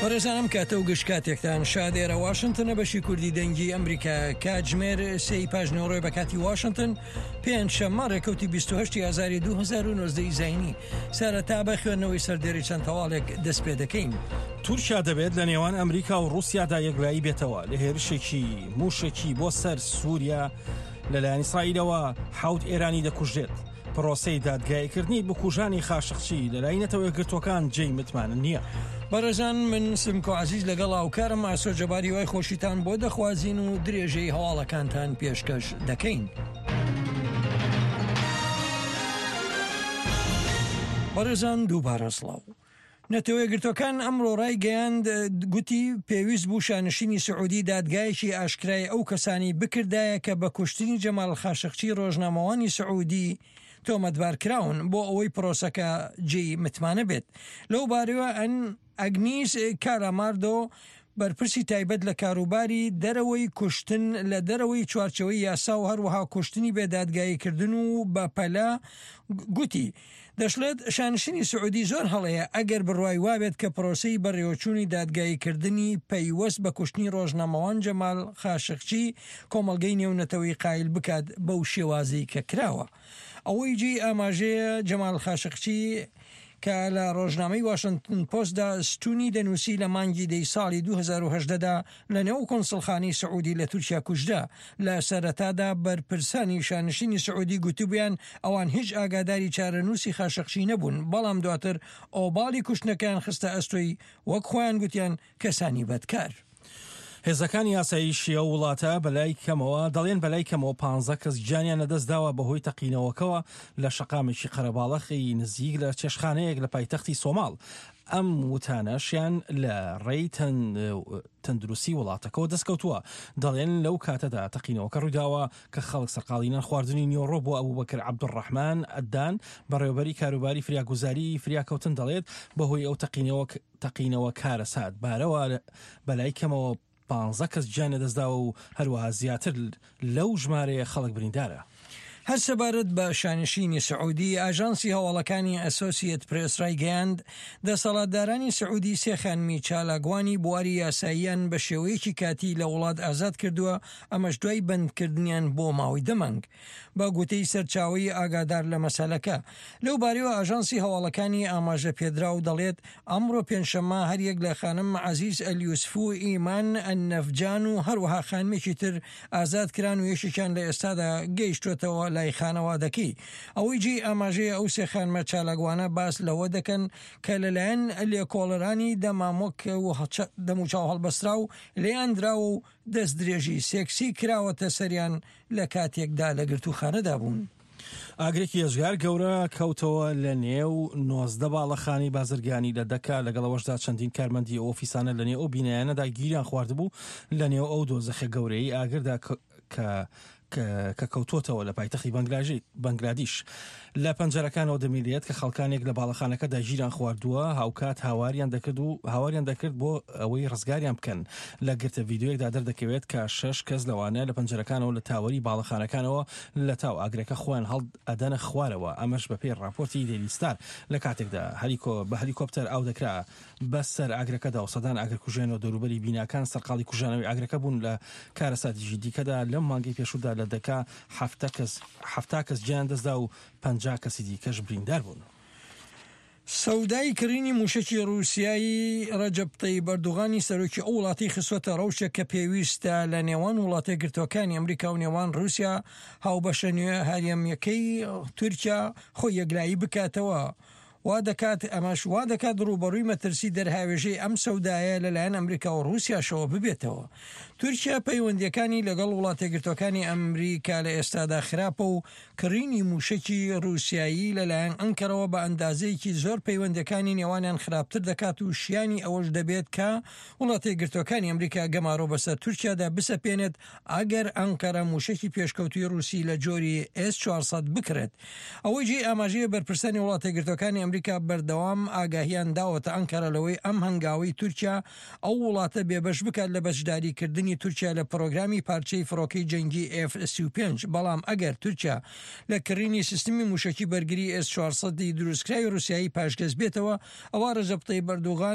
بەڕێزان ئەم کاتە و گشت کاتێکتان شاد ئێرە واشنتنە بەشی کوردی دەنگی ئەمریکا کاتژمێر سێی پاش نیوەڕۆی بە کاتی واشنتن پێنج شەممە ڕێکەوتی 28 ئازاری 2019 زینی سەرەتا بە خوێندنەوەی سەردێری چەند هەواڵێک دەست پێ دەکەین. تورکیا دەبێت لە نێوان ئەمریکا و ڕووسیادا یەکلایی بێتەوە لە هێرشێکی مووشەکی بۆ سەر سووریا لەلایەن ئیسرائیلەوە حەوت ئێرانی دەکوژرێت. پرۆسەی دادگاییکردنی بکوژانی خاشقچی لەلای نەتەوە یەکگرتووەکان جێی متمانە نییە. بەڕێزان من سمکۆ عەزیز لەگەڵ هاوکارم ئاسۆ جەبار هیوای خۆشیتان بۆ دەخوازین و درێژەی هەواڵەکانتان پێشکەش دەکەین. بەڕێزان دووبارە سڵاو. نەتەوەیەکگرتووەکان ئەمڕۆ ڕایگەیاند، گوتی پێویست بوو شانشینی سعودی دادگایەکی ئاشکرای ئەو کەسانەی بکردایە کە بە کوشتنی جەمال خاشقچی ڕۆژنامەوانی سعودی تۆمەتبار کراون بۆ ئەوەی پرۆسەکە جێی متمانە بێت. لەو بارەوە ئەن ئەگنیس کالاماردۆ بەرپرسی تایبەت لە کاروباری دەرەوەی کوشتن لە دەرەوەی چوارچێوەی یاسا و هەروەها کوشتنی بێ دادگاییکردن و بەپەلە گوتی، دەشڵێت، شانشینی سعودی زۆر هەڵەیە ئەگەر بڕوای وابێت کە پرۆسەی بەڕێوەچوونی دادگاییکردنی پەیوەست بە کوشتنی ڕۆژنامەوان جەمال خاشقچی کۆمەڵگەی نێونەتەوەیی قایل بکات بەو شێوازەی کە کراوە. ئەوەی جێی ئاماژەیە جەمال خاشقچی کە لە ڕۆژنامەی واشنتن پۆستدا ستونی دەنووسی لە مانگی دەی ساڵی 2018 دا لە نێو کونسڵخانەی سعودی لە تورکیا کوژرا. لە سەرەتادا بەرپرسانی شانشینی سعودی گوتبوویان ئەوان هیچ ئاگاداری چارەنووسی خاشقچی نەبوون، بەڵام دواتر ئۆباڵی کوشتنەکەیان خستە ئەستۆی وەک خۆیان گوتیان کەسانی بەدکار. هێزەکانی ئاسایشی ئەو وڵاتە بەلای کەمەوە دەڵێن بەلای کەمەوە پانزە کەس گیانیان لەدەستداوە بەهۆی تەقینەوەکەوە لە شەقامێکی قەرەباڵەخی نزیک لە چێشتخانەیەک لە پایتەختی سۆماڵ. ئەم وتانەشیان لە ڕێی تەندروستی وڵاتەکەوە دەستکەوتووە، دەڵێن لەو کاتەدا تەقینەوەکە ڕوویداوە کە خەڵک سەرقاڵی نان خواردنی نیوەڕۆ بووە. ئەبوبەکر عەبدولڕەحمان ئەدان، بەڕێوەبەری کاروباری فریاگوزاری فریاکەوتن دەڵێت، بەهۆی ئەو تەقینەوە کارەساتبارەوە بەلای کەمەوە پانزە کەس گیان لەدەستداوە و هەروەها زیاتر لەو ژمارەیە خەڵک بریندارە. هەر سەبارەت بە شانشینی سعودی، ئاژانسی هەواڵەکانی ئەسۆسیەت پرێس ڕایگەیاند، دەسەڵاتدارانی سعودی سێ خانمی چالاکوانی بواری یاساییان بە شێوەیەکی کاتی لە وڵات ئازاد کردووە، ئەمەش دوای بەندکردنیان بۆ ماوەی دە مانگ. بە گوتەی سەرچاوەی ئاگادار لە مەسەلەکە. لەو بارەیەوە ئاژانسی هەواڵەکانی ئاماژە پێدراو دەڵێت، ئەمڕۆ پێنجشەممە هەریەک لە خانم عەزیز ئەلیوسف و ئیمان ئەلنەفجان و هەروەها خانمێکی تر ئازاد کران و یەکێکیان لە ئێستادا گەیشتووەتەوە لای خانەوادەکەی. ئەوەی جێی ئاماژەیە ئەو سێ خانمە چالاکوانە باس لەوە دەکەن کە لەلایەن لێکۆڵەرانی دەمامک و دەموچاو هەڵبەستراو لێیان دراوە و دەستدرێژی سێکسی کراوەتە سەریان لە کاتێکدا لە گرتووخانەدا بوون. ئاگرێکی ئێجگار گەورە کەوتەوە لە نێو 19 باڵەخانەی بازرگانی لە دەکا، لەگەڵ ئەوەشدا چەندین کارمەندی ئەو ئۆفیسانە لە نێو ئەو بینایانەدا گیریان خواردبوو لە نێو ئەو دۆزەخە گەورەیەی ئاگردا کە کە کەوتووەتەوە لە پایتەختی بەنگلادیش. لە پەنجەرەکانەوە دەبینرێت کە خەڵکانێک لە باڵەخانەکەدا گیریان خواردووە، هاوکات هاواریان دەکرد و هاواریان دەکرد بۆ ئەوەی ڕزگاریان بکەن. لە گرتە ڤیدیۆیەکدا دەردەکەوێت کە شەش کەس لەوانە لە پەنجەرەکانەوە لە تاوەری باڵەخانەکانەوە لە تاو ئاگرەکە خۆیان هەڵئەدەنە خوارەوە، ئەمەش بەپێی ڕاپۆرتی دەیلی ستار. لە کاتێکدا بە هەلیکۆپتەر ئاو دەکرا بەسەر ئاگرەکەدا و سەدان ئاگرکوژێنەوە دەوروبەری بیناکان سەرقاڵی کوژانەوەی ئاگرەکە بوون. لە کارەساتێکی دیکەدا لەم مانگەی پێشوودا لە دەکا 70 کەس گیان دەستدا و 50 کەسی دیکەش بریندار بوون. سەودای کڕینی مووشەکی ڕووسیایی ڕەجەب تەیب ئەردوغانی سەرۆکی ئەو وڵاتەی خستووەتە ڕەوشێک کە پێویستە لە نێوان وڵاتەیەکگرتووەکانی ئەمریکا و نێوان ڕووسیا هاوبەشە نوێ هەرێمییەکەی تورکیا خۆی یەکلایی بکاتەوە وا دەکات ئەمەش وا دەکات ڕووبەڕووی مەترسی دەرهاوێژەی ئەم سەودایە لەلایەن ئەمریکا و ڕووسیاشەوە ببێتەوە. تورکیا پەیوەندییەکانی لەگەڵ وڵاتەیەکگرتووەکانی ئەمریکا لە ئێستادا خراپە و کڕینی مووشەکی ڕووسیایی لەلایەن ئەنکەرەوە بە ئەندازەیەکی زۆر پەیوەندییەکانی نێوانیان خراپتر دەکات و شیانی ئەوەش دەبێت کە وڵاتەیەکگرتووەکانی ئەمریکا گەمارۆ بەسەر تورکیادا بسەپێنێت ئەگەر ئەنقەرە مووشەکی پێشکەوتووی ڕووسی لە جۆری ئێس 400 بکڕێت. ئەوەی جێی ئاماژەیە بەرپرسانی وڵاتەیەکگرتووەکانی ئەمریکا بەردەوام ئاگاهیان داوەتە ئەنکەرە لەوەی ئەم هەنگاوەی تورکیا ئەو وڵاتە بێبەش بکات لە بەشداریکردنی تورکیا لە پرۆگرامی پارچەی فڕۆکەی جەنگی ئێف 35 بەڵام ئەگەر تورکیا لە کڕینی سیستمی مووشەکی بەرگری ئێس 400 ی دروستکراوی ڕووسیایی پاشگەز بێتەوە ئەوا ڕەجەب تەیب ئەردوغان.